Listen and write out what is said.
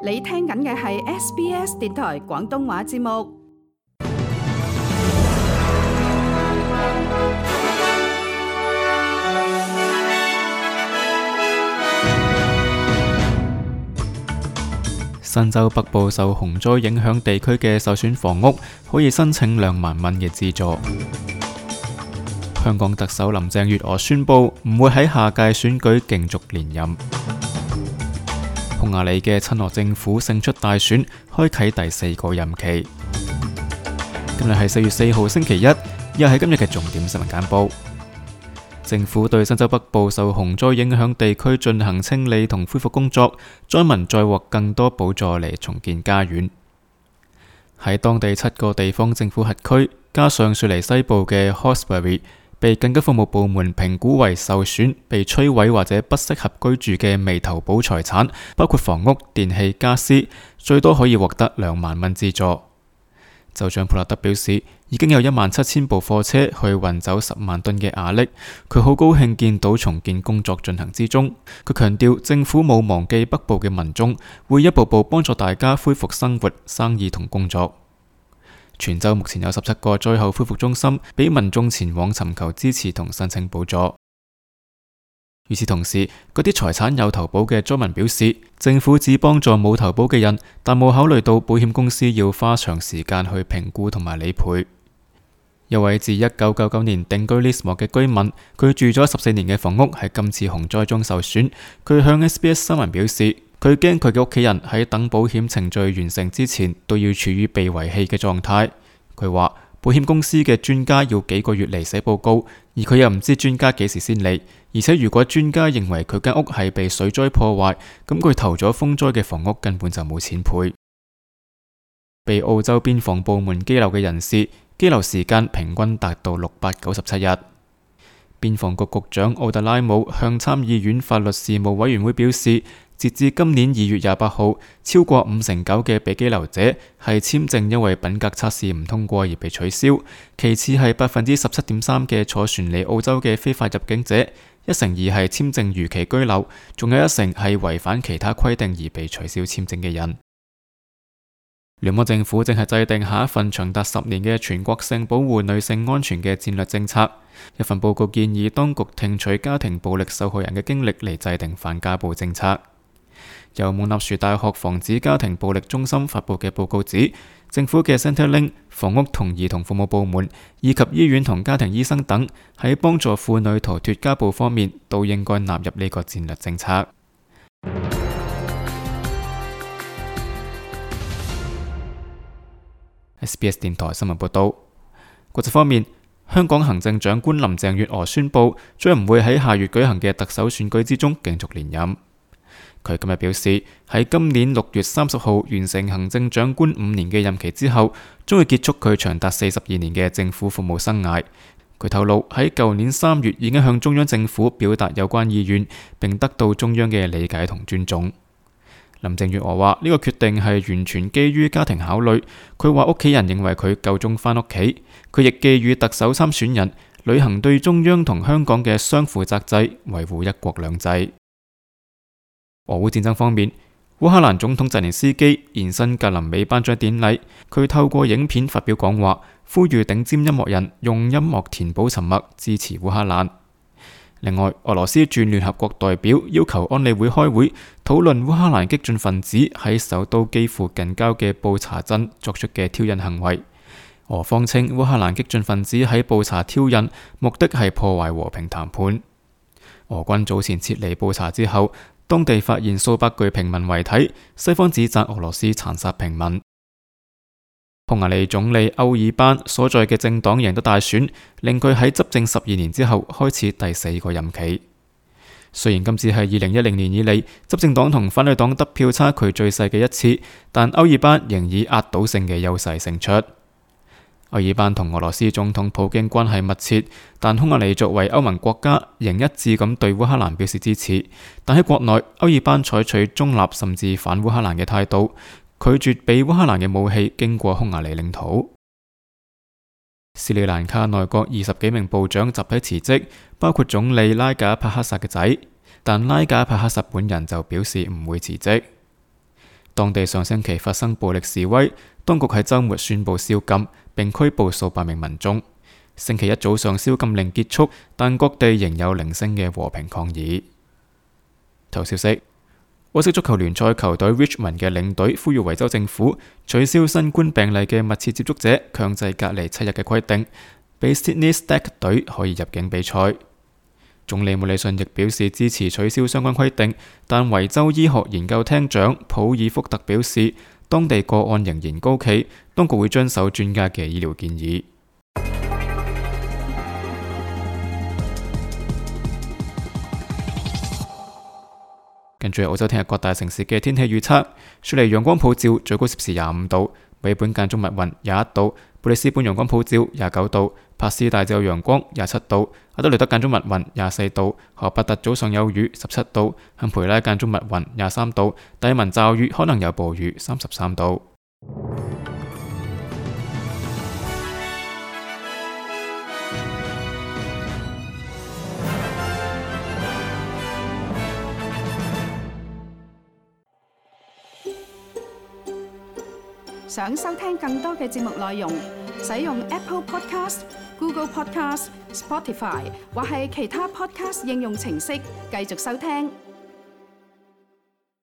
你聽緊嘅係 SBS 電台廣東話節目。新州北部受洪災影響地區嘅受損房屋可以申請2萬蚊嘅資助。香港特首林鄭月娥宣布唔會喺下屆選舉競逐連任。匈牙利嘅親俄政府勝出大選，開啟第4個任期。今日係4月4號星期一，又係今日嘅重點新聞簡報。政府對新州北部受洪災影響地區進行清理同恢復工作，災民再獲更多補助嚟重建家園。喺當地7個地方政府轄區，加上雪梨西部嘅 Hawkesbury，被緊急服務部門評估為受損、被摧毀或者不適合居住嘅未投保財產，包括房屋、電器、家私，最多可以獲得2萬蚊資助。州長普勒德表示，已經有17000部貨車去運走10萬噸嘅瓦礫，佢好高興見到重建工作進行之中。佢強調政府冇忘記北部嘅民眾，會一步步幫助大家恢復生活、生意同工作。全州目前有17個災後恢復中心，俾民眾前往尋求支持同申請補助。與此同時，嗰啲財產有投保嘅災民表示，政府只幫助冇投保嘅人，但冇考慮到保險公司要花長時間去評估同埋理賠。一位自1999年定居 Lismore 嘅居民，佢住咗14年嘅房屋喺今次洪災中受損。佢向 SBS 新聞表示，佢驚佢嘅屋企人喺等保險程序完成之前都要處於被遺棄嘅狀態。佢話保險公司嘅專家要幾個月嚟寫報告，而佢又唔知專家幾時先嚟。而且如果專家認為佢間屋係被水災破壞，咁佢投咗風災嘅房屋根本就冇錢賠。被澳洲邊防部門羈留嘅人士，羈留時間平均達到697日。邊防局局長奧特拉姆向參議院法律事務委員會表示，截至今年2月28號，超過59%嘅被羈留者係簽證因為品格測試唔通過而被取消，其次係17.3%嘅坐船嚟澳洲嘅非法入境者，1成2係簽證逾期居留，仲有1成係違反其他規定而被取消簽證嘅人。聯邦政府正係制定下一份長達10年嘅全國性保護女性安全嘅戰略政策。一份報告建議當局聽取家庭暴力受害人嘅經歷嚟制定反家暴政策。由蒙納殊大學防止家庭暴力中心發佈嘅報告指，政府嘅 Centrelink、房屋同兒童服務部門以及醫院同家庭醫生等喺幫助婦女逃脫家暴方面都應該納入呢個戰略政策。SBS 電台新聞報道。國際方面，香港行政長官林鄭月娥宣布將唔會喺下月舉行嘅特首選舉之中競逐連任。佢今日表示，喺今年6月30號完成行政長官5年嘅任期之後，將會結束佢長達42年嘅政府服務生涯。佢透露喺舊年3月已經向中央政府表達有關意願，並得到中央嘅理解同尊重。林鄭月娥話呢個決定係完全基於家庭考慮。佢話屋企人認為佢夠鐘返屋企。佢亦寄語特首參選人履行對中央同香港嘅雙負責制，維護一國兩制。俄烏戰爭方面，烏克蘭總統澤連斯基現身格林美頒獎典禮，佢透過影片發表講話，呼籲頂尖音樂人用音樂填補沉默，支持烏克蘭。另外，俄羅斯駐聯合國代表要求安理會開會討論烏克蘭激進分子喺首都基輔近郊嘅布查鎮作出嘅挑釁行為。俄方稱烏克蘭激進分子喺布查挑釁，目的係破壞和平談判。俄軍早前撤離布查之後，當地發現數百具平民遺體，西方指責俄羅斯殘殺平民。匈牙利總理歐爾班所在嘅政黨贏得大選，令佢喺執政12年之後開始第4個任期。雖然今次係2010年以嚟執政黨同反對黨得票差距最細嘅一次，但歐爾班仍以壓倒性嘅優勢勝出。歐爾班同俄羅斯總統普京關係密切，但匈牙利作為歐盟國家，仍一致咁對烏克蘭表示支持。但喺國內，歐爾班採取中立甚至反烏克蘭嘅態度，拒絕俾烏克蘭嘅武器經過匈牙利領土。斯里蘭卡內閣20幾名部長集體辭職，包括總理拉賈帕克薩嘅仔，但拉賈帕克薩本人就表示唔會辭職。當地上星期發生暴力示威，當局喺週末宣布宵禁，並拘捕數百名民眾。星期一早上宵禁令結束，但各地仍有零星嘅和平抗議。頭消息：澳式足球聯賽球隊 Richmond 嘅領隊呼籲維州政府取消新冠病例嘅密切接觸者強制隔離7日嘅規定，俾 Sydney Stag 隊可以入境比賽。總理莫里遜亦表示支持取消相關規定，但維州醫學研究廳長普爾福特表示，當地個案仍然高企，當局會遵守專家嘅醫療建議。跟住澳洲聽日各大城市嘅天氣預測：雪梨陽光普照，最高攝氏25度；墨爾本間中密雲21度；布里斯本陽光普照29度；帕斯大致有陽光27度；阿德雷德間中密雲24度；荷伯特早上有雨17度；坎培拉間中密雲23度；達爾文驟雨可能有暴雨33度。想收聽更多嘅節目內容，使用 Apple Podcast、Google Podcast、Spotify 或係其他 Podcast 應用程式繼續收聽。